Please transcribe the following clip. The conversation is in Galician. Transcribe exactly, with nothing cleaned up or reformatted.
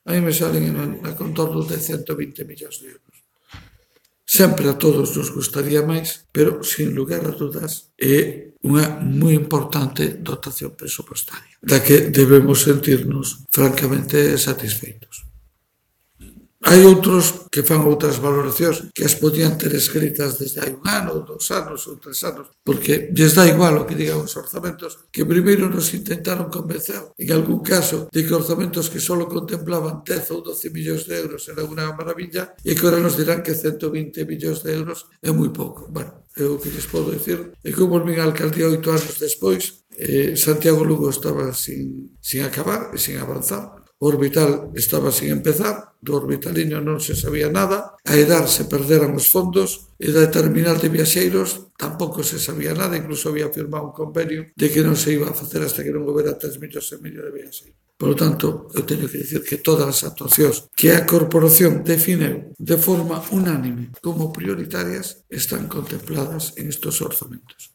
a mí me salen na contorno de cento vinte millóns de euros. Sempre a todos nos gustaría máis, pero, sin lugar a dudas, é unha moi importante dotación presupostaria, da que debemos sentirnos francamente satisfeitos. Hai outros que fan outras valoracións que as podían ter escritas desde hai un ano, dos anos ou tres anos, porque lles dá igual o que digan os orzamentos, que primeiro nos intentaron convencer, en algún caso, de que orzamentos que só contemplaban dez ou doce millóns de euros era unha maravilla, e que ahora nos dirán que cento vinte millóns de euros é moi pouco. Bueno, eu o que lles podo dicir é que eu volvín a alcaldía oito anos despois, eh, Santiago Lugo estaba sin, sin acabar e sin avanzar, o Orbital estaba sin empezar, do Orbitaliño non se sabía nada, a Edar se perderan os fondos e da terminal de viaxeiros tampouco se sabía nada, incluso había firmado un convenio de que non se iba a facer hasta que non houbera tres millóns e medio de viaxeiros. Por lo tanto, eu teño que dicir que todas as actuacións que a Corporación defineu de forma unánime como prioritarias están contempladas en estos orzamentos.